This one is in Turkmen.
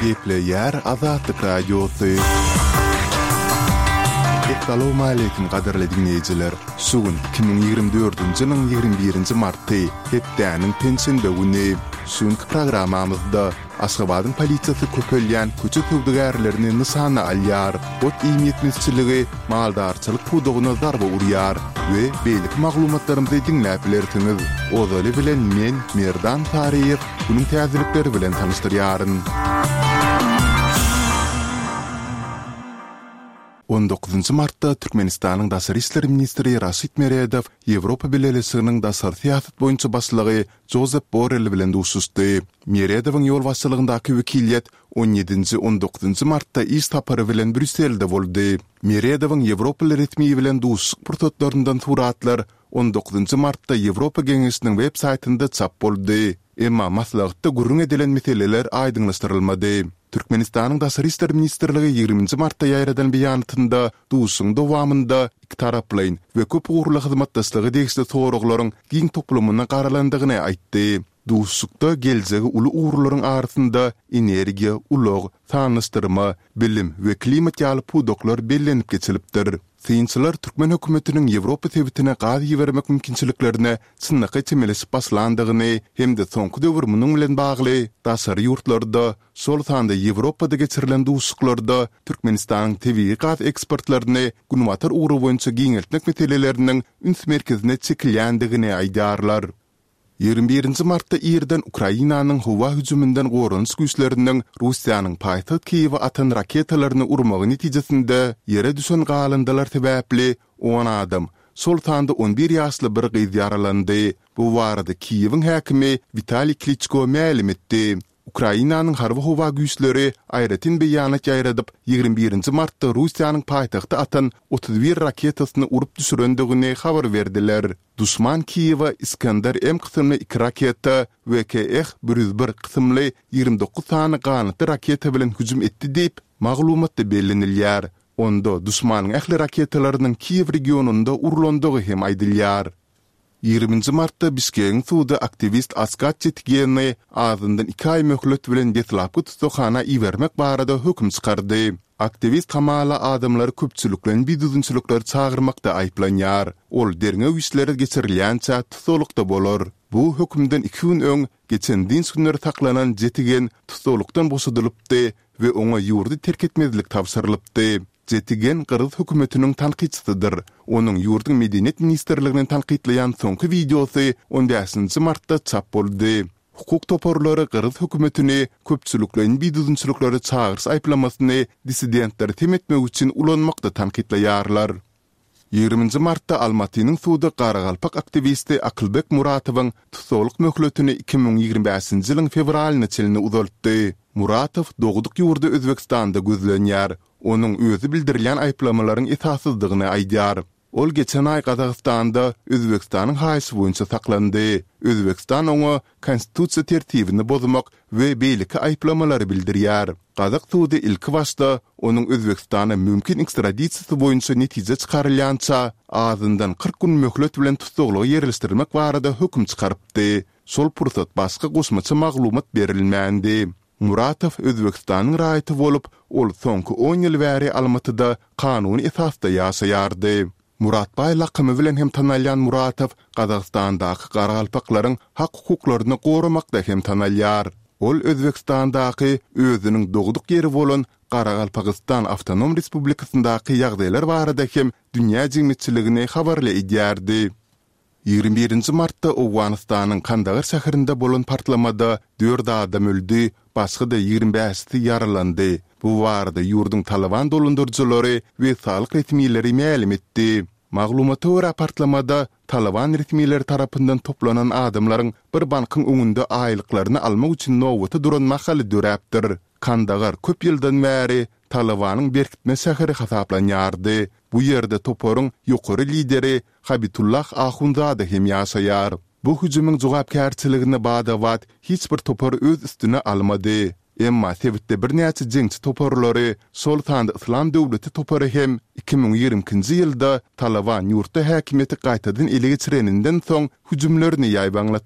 Gepleýär Azatlyk Radiosy. Essalawmaleýkim gadyrly diňleýjiler! Şu gün 2024-nji ýylyň 21-nji marty, hepdäniň penşenbe güni. Şu günki programmamyzda Aşgabadyň polisiýasy köpelýän köçe söwdagärlerini nyşana alýar, ot-iým ýetmezçiligi maldarçylyk pudagyna zarba urýar we beýleki maglumatlarymyzy diňläp bilersiňiz. Ozaly bilen men, Merdan Saryýew, günüň täzelikleri bilen tanyşdyrýaryn. On dokuzynjy martda Türkmenistanyň daşary işler ministri Raşid Meredow Ýewropa Bileleşiginiň daşary syýasat boýunça başlygy Jozep Borrell bilen duşuşdy. Meredowyň ýolbaşçylygyndaky wekiliýet on ýedinji, on dokuzynjy martda iş sapary bilen Brýusselde boldy. Meredowyň ýewropaly resmi bilen duşuşyk pursatlaryndan suratlar on dokuzynjy martda Ýewropa Geňeşiniň web saýtynda çap boldy. Emma maslahatda gürrüň edilen meseleler aýdyňlaşdyrylmady. Türkmenistanyň Daşary işler ministrligi ýigriminji martda ýaýradan beýanatynda duşuşygyň dowamynda ikitaraplaýyn we köp ugurly hyzmatdaşlyga degişli soraglaryň giň toplumyna garalandygyny aýtdy. Duşuşykda geljegi uly ugurlaryň arasynda energiýa, ulag, sanlaşdyrma, bilim we klimat ýaly pudaklar bellenip geçilipdir. Synçylar türkmen hökümetiniň Ýewropa sebitine gaz ibermek mümkinçiliklerine çynlakaý çemeleşip başlandygyny hem-de soňky döwür munuň bilen bagly daşary ýurtlarda, şol sanda Ýewropada geçirilen duşuşyklarda Türkmenistanyň tebigy gaz eksportlaryny günbatar ugry boýunça giňeltmek meseleleriniň üns merkezine çekilýändigini aýdýarlar. 21 nji martda irden Ukrainanyň howa hüjüminden goranyş güýçleriniň Russiýanyň paýtagt Kiýewe atan raketalaryny urmagy netijesinde ýere düşen galyndylar sebäpli on adam, şol sanda on bir ýaşly bir gyz ýaralandy. Bu barada Kiýewiň häkimi Witaliý Kliçko mälim etdi. Ukrainanyň harby-howa güýçleri aýratyn beýanat ýaýradyp, 21 nji martda Russiýanyň paýtagta atan 31 raketasyny urup düşürendigini habar berdiler. Duşman Kiýewe Iskender-M kysymly iki raketa we KH 101 kysymly 29 sany ganatly raketa bilen hüjüm etdi diýip, maglumatda bellenilýär. Onda duşmanyň ähli raketalarynyň Kiýew regionynda urlandygy hem aýdylýar. Ýigriminji martda Bişkegiň sudy aktiwist Askat Çetigeni azyndan iki aý möhlet bilen deslapky tussaghana ibermek barada höküm çykardy. Aktiwist hamala adamlary köpçülikleýin bidüzgünçiliklere çagyrmakda aýyplanýar. Ol derňew işleri geçirilýänçä tussaglykda bolar. Bu hökümden iki gün öň, geçen dynç günleri saklanan Jetigen tussaglykdan boşadylypdy we oňa ýurdy terk etmezlik tabşyrylypdy. Jetigen gyrgyz hökümetiniň tankytçysydyr. Onuň ýurduň Medeniýet ministrligini tankytlaýan soňky wideosy on bäşinji martda çap boldy. Hukuk toparlary gyrgyz hökümetini köpçülikleýin bidüzgünçiliklere çagyryş aýyplamasyny dissidentleri sem etmek üçin ulanmakda tankytlaýarlar. Ýigriminji martda Almatynyň sudy garagalpak aktiwisti Akylbek Muratowyň tussaglyk möhletini 2025-nji ýylyň fewralyna çenli uzaltdy. Muratow dogduk ýurdy Özbegistanda gözlenýär. Onuň özi bildirilýän aýyplamalaryň esassyzdygyny aýdýar. Ol geçen aý Gazagystanda Özbegistanyň haýyşy boýunça saklandy. Özbegistan oňa konstitusiýa tertibini bozmak we beýleki aýyplamalary bildirýär. Gazak sudy ilkibaşda onuň Özbegistana mümkin ekstradisiýasy boýunça netije çykarylýança azyndan 40 gün möhlet bilen tussaglyga ýerleşdirmek barada höküm çykarypdy. Şol pursat başga goşmaça maglumat berilmändi. Muratow Özbegistanyň raýaty bolup, ol soňky on ýyl bäri Almatyda kanuny esasda ýaşaýardy. Muratbaý lakamy bilen hem tanalýan Muratow Gazagystandaky garagalpaklaryň hak-hukuklaryny goramakda hem tanalýar. Ol Özbegistandaky özüniň dogduk ýeri bolan Garagalpagystan Awtonom Respublikasyndaky ýagdaýlar barada hem dünýä jemgyýetçiligini habarly edýärdi. 21 nji martda Owganystanyň Kandagar şäherinde bolan partlamada dört adam öldi, başga-da 25-si ýaralandy. Bu barada ýurduň Talyban dolandyryjylary we saglyk resmileri mälim etdi. Maglumata görä, partlamada Talyban resmileri tarapyndan toplanan adamlaryň bir bankyň öňünde aýlyklaryny almak üçin nobata duran mahaly döräpdir. Kandagar köp ýyldan bäri Talybanyň berkitme şäheri hasaplanýardy. Bu ýerde toparyň ýokary lideri Habitullah Ahunzada hem ýaşaýar. Bu hüjümiň jogapkärçiligini bada-bat hiç bir topar öz üstüne almady. Emma sebitde birnäçe jeňçi toparlary, şol sanda Yslam döwleti topary hem 2022-nji ýylda Talyban ýurtda häkimiýeti gaýtadan ele geçireninden soň hüjümlerini ýaýbaňlatdylar.